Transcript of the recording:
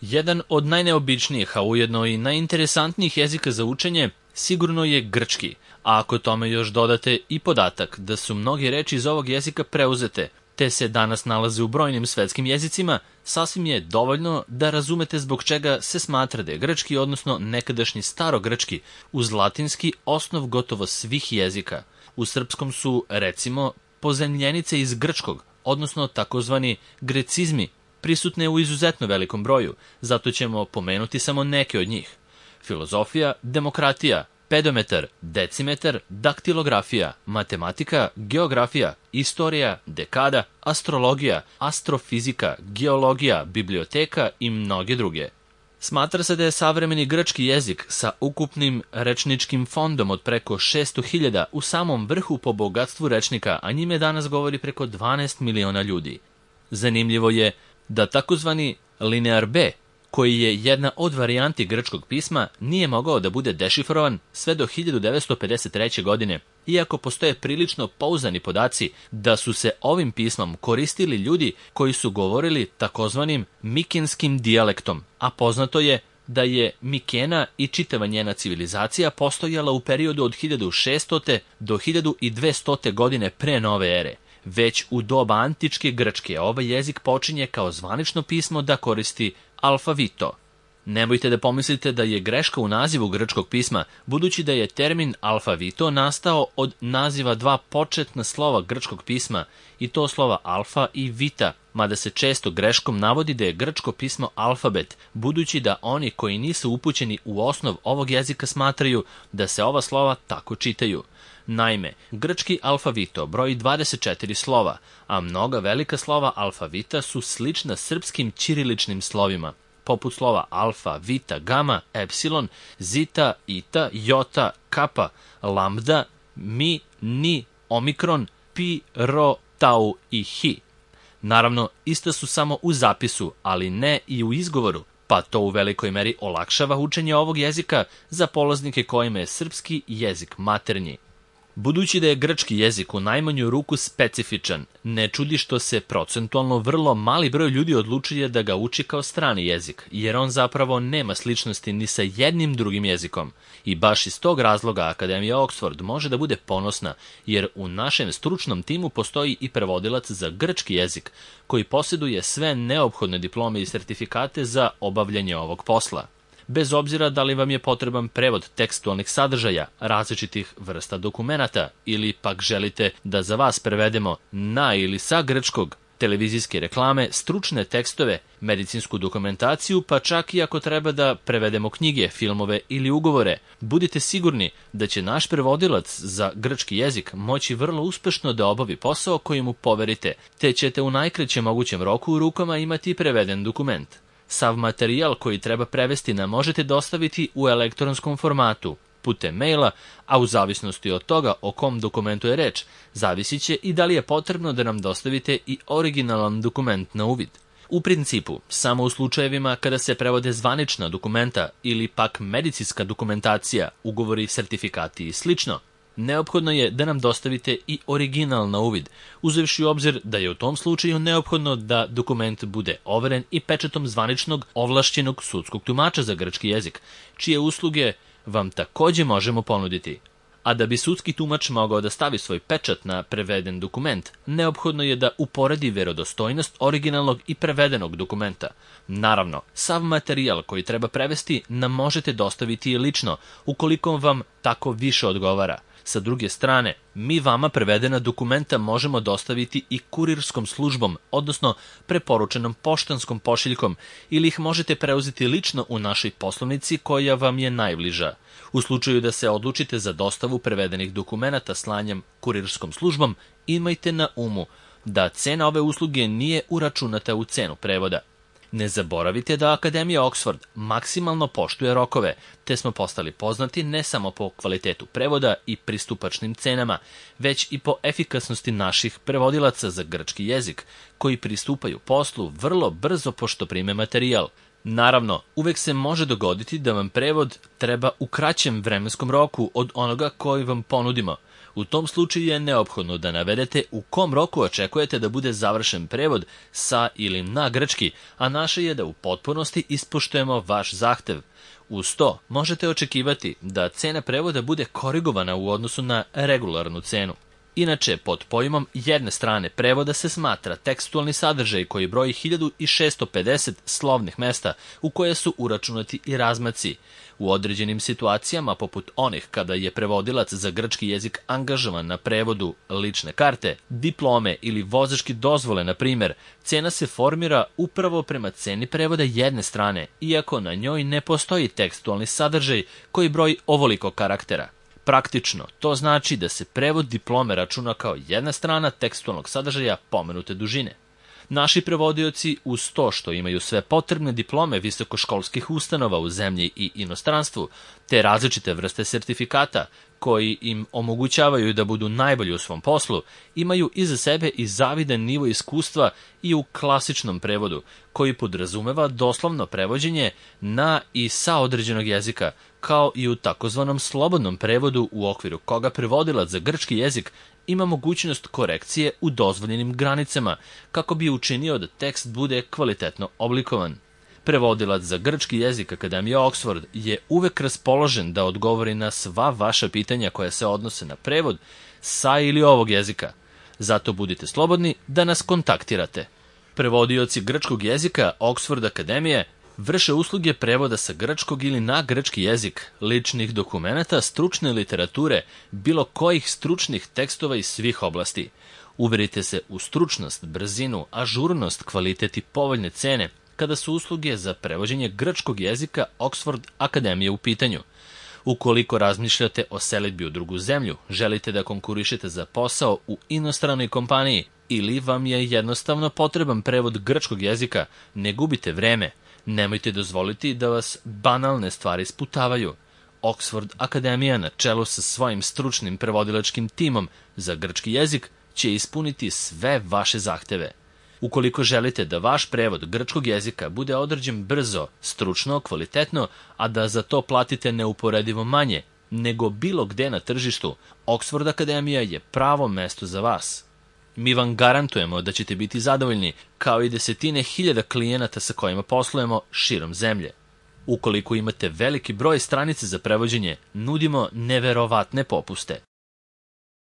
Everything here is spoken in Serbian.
Jedan od najneobičnijih, a ujedno i najinteresantnijih jezika za učenje sigurno je grčki, a ako tome još dodate i podatak da su mnoge reči iz ovog jezika preuzete, te se danas nalaze u brojnim svetskim jezicima, sasvim je dovoljno da razumete zbog čega se smatra da je grčki, odnosno nekadašnji starogrčki, uz latinski osnov gotovo svih jezika. U srpskom su, recimo, pozajmljenice iz grčkog, odnosno takozvani grecizmi, prisutne u izuzetno velikom broju, zato ćemo pomenuti samo neke od njih. Filozofija, demokratija, pedometar, decimetar, daktilografija, matematika, geografija, istorija, dekada, astrologija, astrofizika, geologija, biblioteka i mnoge druge. Smatra se da je savremeni grčki jezik sa ukupnim rečničkim fondom od preko 600.000 u samom vrhu po bogatstvu rečnika, a njime danas govori preko 12 miliona ljudi. Zanimljivo je da takozvani linear B, koji je jedna od varijanti grčkog pisma, nije mogao da bude dešifrovan sve do 1953. godine, iako postoje prilično pouzdani podaci da su se ovim pismom koristili ljudi koji su govorili takozvanim mikenskim dijalektom, a poznato je da je Mikena i čitava njena civilizacija postojala u periodu od 1600. do 1200. godine pre nove ere. Već u doba antičke Grčke ovaj jezik počinje kao zvanično pismo da koristi alfavito. Nemojte da pomislite da je greška u nazivu grčkog pisma, budući da je termin alfavito nastao od naziva dva početna slova grčkog pisma, i to slova alfa i vita, mada se često greškom navodi da je grčko pismo alfabet, budući da oni koji nisu upućeni u osnov ovog jezika smatraju da se ova slova tako čitaju. Naime, grčki alfavito broji 24 slova, a mnoga velika slova alfavita su slična srpskim ćiriličnim slovima, poput slova alfa, vita, gama, epsilon, zita, ita, jota, kapa, lambda, mi, ni, omikron, pi, ro, tau i hi. Naravno, ista su samo u zapisu, ali ne i u izgovoru, pa to u velikoj meri olakšava učenje ovog jezika za polaznike kojima je srpski jezik maternji. Budući da je grčki jezik u najmanju ruku specifičan, ne čudi što se procentualno vrlo mali broj ljudi odlučuje da ga uči kao strani jezik, jer on zapravo nema sličnosti ni sa jednim drugim jezikom. I baš iz tog razloga Akademija Oxford može da bude ponosna, jer u našem stručnom timu postoji i prevodilac za grčki jezik, koji posjeduje sve neophodne diplome i sertifikate za obavljanje ovog posla. Bez obzira da li vam je potreban prevod tekstualnih sadržaja, različitih vrsta dokumenata, ili pak želite da za vas prevedemo na ili sa grčkog, televizijske reklame, stručne tekstove, medicinsku dokumentaciju, pa čak i ako treba da prevedemo knjige, filmove ili ugovore, budite sigurni da će naš prevodilac za grčki jezik moći vrlo uspešno da obavi posao koji mu poverite, te ćete u najkraćem mogućem roku u rukama imati preveden dokument. Sav materijal koji treba prevesti nam možete dostaviti u elektronskom formatu, putem maila, a u zavisnosti od toga o kom dokumentu je reč, zavisit će i da li je potrebno da nam dostavite i originalan dokument na uvid. U principu, samo u slučajevima kada se prevode zvanična dokumenta ili pak medicinska dokumentacija, ugovori, sertifikati i slično, neophodno je da nam dostavite i original na uvid, uzevši u obzir da je u tom slučaju neophodno da dokument bude overen i pečatom zvaničnog ovlašćenog sudskog tumača za grčki jezik, čije usluge vam takođe možemo ponuditi. A da bi sudski tumač mogao da stavi svoj pečat na preveden dokument, neophodno je da uporedi verodostojnost originalnog i prevedenog dokumenta. Naravno, sav materijal koji treba prevesti nam možete dostaviti i lično, ukoliko vam tako više odgovara. Sa druge strane, mi vama prevedena dokumenta možemo dostaviti i kurirskom službom, odnosno preporučenom poštanskom pošiljkom, ili ih možete preuzeti lično u našoj poslovnici koja vam je najbliža. U slučaju da se odlučite za dostavu prevedenih dokumenata slanjem kurirskom službom, imajte na umu da cena ove usluge nije uračunata u cenu prevoda. Ne zaboravite da Akademija Oxford maksimalno poštuje rokove, te smo postali poznati ne samo po kvalitetu prevoda i pristupačnim cenama, već i po efikasnosti naših prevodilaca za grčki jezik, koji pristupaju poslu vrlo brzo pošto prime materijal. Naravno, uvek se može dogoditi da vam prevod treba u kraćem vremenskom roku od onoga koji vam ponudimo. U tom slučaju je neophodno da navedete u kom roku očekujete da bude završen prevod sa ili na grčki, a naše je da u potpunosti ispoštujemo vaš zahtev. Uz to možete očekivati da cena prevoda bude korigovana u odnosu na regularnu cenu. Inače, pod pojmom jedne strane prevoda se smatra tekstualni sadržaj koji broji 1650 slovnih mesta u koje su uračunati i razmaci. U određenim situacijama, poput onih kada je prevodilac za grčki jezik angažovan na prevodu lične karte, diplome ili vozačke dozvole, na primjer, cena se formira upravo prema ceni prevoda jedne strane, iako na njoj ne postoji tekstualni sadržaj koji broji ovoliko karaktera. Praktično, to znači da se prevod diplome računa kao jedna strana tekstualnog sadržaja pomenute dužine. Naši prevodioci, uz to što imaju sve potrebne diplome visokoškolskih ustanova u zemlji i inostranstvu, te različite vrste sertifikata koji im omogućavaju da budu najbolji u svom poslu, imaju iza sebe i zavidan nivo iskustva i u klasičnom prevodu, koji podrazumeva doslovno prevođenje na i sa određenog jezika, kao i u takozvanom slobodnom prevodu u okviru koga prevodilac za grčki jezik ima mogućnost korekcije u dozvoljenim granicama, kako bi učinio da tekst bude kvalitetno oblikovan. Prevodilac za grčki jezik Akademije Oxford je uvek raspoložen da odgovori na sva vaša pitanja koja se odnose na prevod sa ili ovog jezika. Zato budite slobodni da nas kontaktirate. Prevodioci grčkog jezika Oxford Akademije vrše usluge prevoda sa grčkog ili na grčki jezik, ličnih dokumenata, stručne literature, bilo kojih stručnih tekstova iz svih oblasti. Uverite se u stručnost, brzinu, ažurnost, kvalitet i povoljne cene kada su usluge za prevođenje grčkog jezika Oxford Akademije u pitanju. Ukoliko razmišljate o selidbi u drugu zemlju, želite da konkurišete za posao u inostranoj kompaniji ili vam je jednostavno potreban prevod grčkog jezika, ne gubite vreme. Nemojte dozvoliti da vas banalne stvari sputavaju. Oxford Akademija na čelu sa svojim stručnim prevodilačkim timom za grčki jezik će ispuniti sve vaše zahteve. Ukoliko želite da vaš prevod grčkog jezika bude odrađen brzo, stručno, kvalitetno, a da za to platite neuporedivo manje nego bilo gde na tržištu, Oxford Akademija je pravo mesto za vas. Mi vam garantujemo da ćete biti zadovoljni, kao i desetine hiljada klijenata sa kojima poslujemo širom zemlje. Ukoliko imate veliki broj stranica za prevođenje, nudimo neverovatne popuste.